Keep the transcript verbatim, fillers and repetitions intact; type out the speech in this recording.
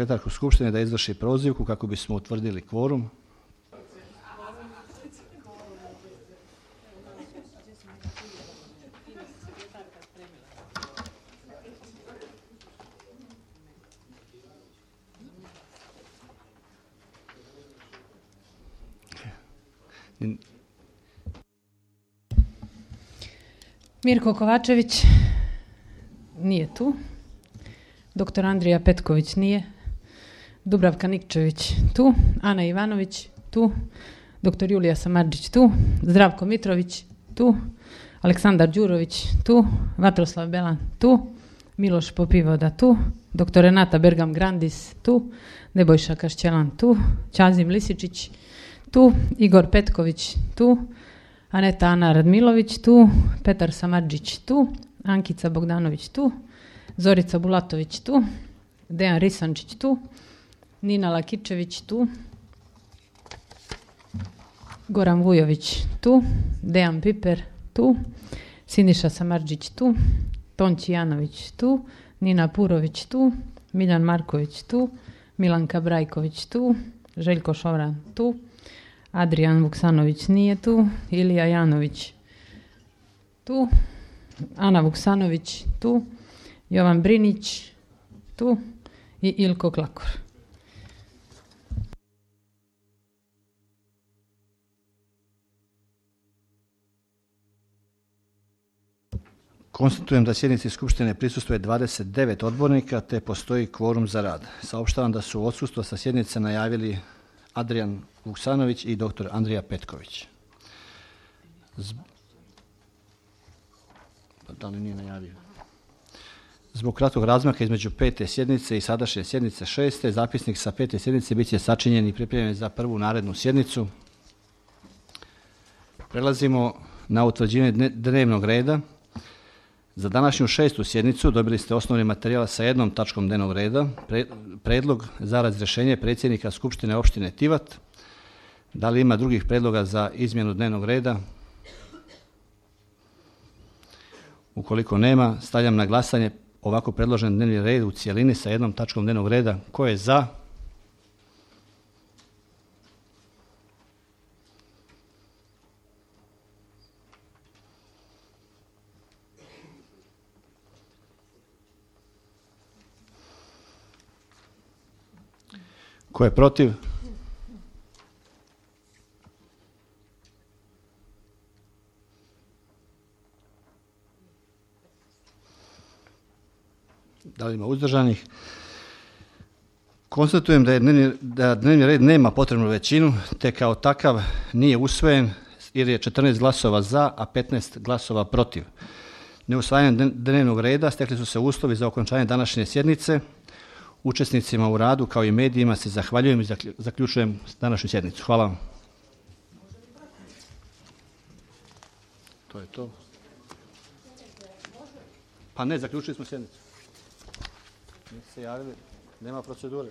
sekretarku Skupštine da izvrši prozivku kako bismo utvrdili kvorum. Mirko Kovačević nije tu. Doktor Andrija Petković nije. Dubravka Nikčević tu. Ana Ivanović tu. Doktor Julija Samardžić tu. Zdravko Mitrović tu. Aleksandar Đurović tu. Vatroslav Belan tu. Miloš Popivoda tu. Doktor Renata Bergam Grandis tu. Nebojša Kašćelan tu. Ćazim Lisičić tu. Igor Petković tu. Aneta Ana Radmilović tu. Petar Samardžić tu. Ankica Bogdanović tu. Zorica Bulatović tu. Dejan Risančić tu. Nina Lakičević tu. Goran Vujović tu. Dejan Piper tu. Siniša Samardžić tu. Tonči Janović tu. Nina Purović tu. Miljan Marković tu. Milanka Brajković tu. Željko Šovran tu. Adrijan Vuksanović nije tu. Ilija Janović tu. Ana Vuksanović tu. Jovan Brinić tu i Ilko Klakor. Konstatujem da sjednici Skupštine prisustvuje dvadeset devet odbornika te postoji kvorum za rad. Saopštavam da su odsustvo sa sjednice najavili Adrijan Vuksanović i doktor Andrija Petković. Z... Da li nije najavio? Zbog kratkog razmaka između pete sjednice i sadašnje sjednice šeste, zapisnik sa pete sjednice bit će sačinjen i pripremljen za prvu narednu sjednicu. Prelazimo na utvrđivanje dnevnog reda. Za današnju šestu sjednicu dobili ste osnovni materijal sa jednom tačkom dnevnog reda, pre, predlog za razrješenje predsjednika Skupštine opštine Tivat. Da li ima drugih predloga za izmjenu dnevnog reda? Ukoliko nema, stavljam na glasanje ovako predložen dnevni red u cijelini sa jednom tačkom dnevnog reda. Ko je za? Ko je protiv? Da li ima uzdržanih? Konstatujem da, je dnevni, da dnevni red nema potrebnu većinu, te kao takav nije usvojen jer je četrnaest glasova za, a petnaest glasova protiv. Neusvajanjem dnevnog reda stekli su se uslovi za okončanje današnje sjednice. Učesnicima u radu kao i medijima se zahvaljujem i zaključujem današnju sjednicu. Hvala vam. To je to. Pa ne, zaključili smo sjednicu. Niste se javili, nema procedure.